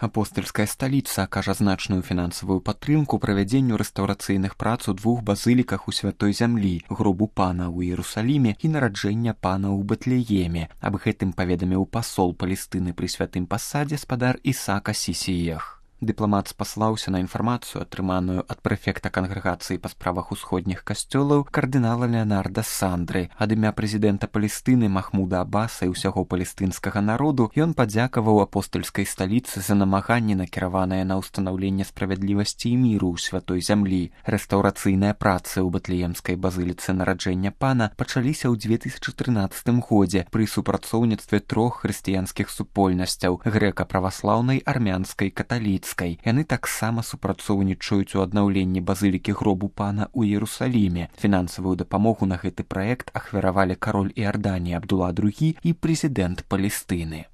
Апостальская сталіца акажа значную фінансавую падтрымку правядзенню рэстаўрацыйных прац у двух базыліках у святой зямлі, гробу пана ў Іерусаліме і нараджэння пана ў Бэтлееме. Аб гэтым паведаміў пасол Палестыны пры святым пасадзе спадар Ісаак Асісіях. Дыпламат спаслаўся на інфармацыю, атрыманую ад прэфекта кангрэгацыі па справах усходніх касцёлаў кардынала Леонарда Сандры. Ад імя прэзідэнта Палестыны Махмуда Аббаса і ўсяго палестынскага народу ён падзякаваў апостальскай сталіцы за намаганні, накіраванае на ўстанаўленне справядлівасці і міру ў святой зямлі. Рэстаўрацыйныя працы ў Бэтлеемскай базыліцы нараджэння пана пачаліся ў 2013 годзе пры супрацоўніцтве трох хрысціянскіх супольнасцяў – грэка-праваслаўнай, армянскай, каталіцкай. Яны таксама супрацоўнічаюць у аднаўленні базылікі гробу пана ў Іерусаліме. Фінансавую дапамогу на гэты праект ахвяравалі кароль Іорданії Абдула II і прэзідэнт Палестыны.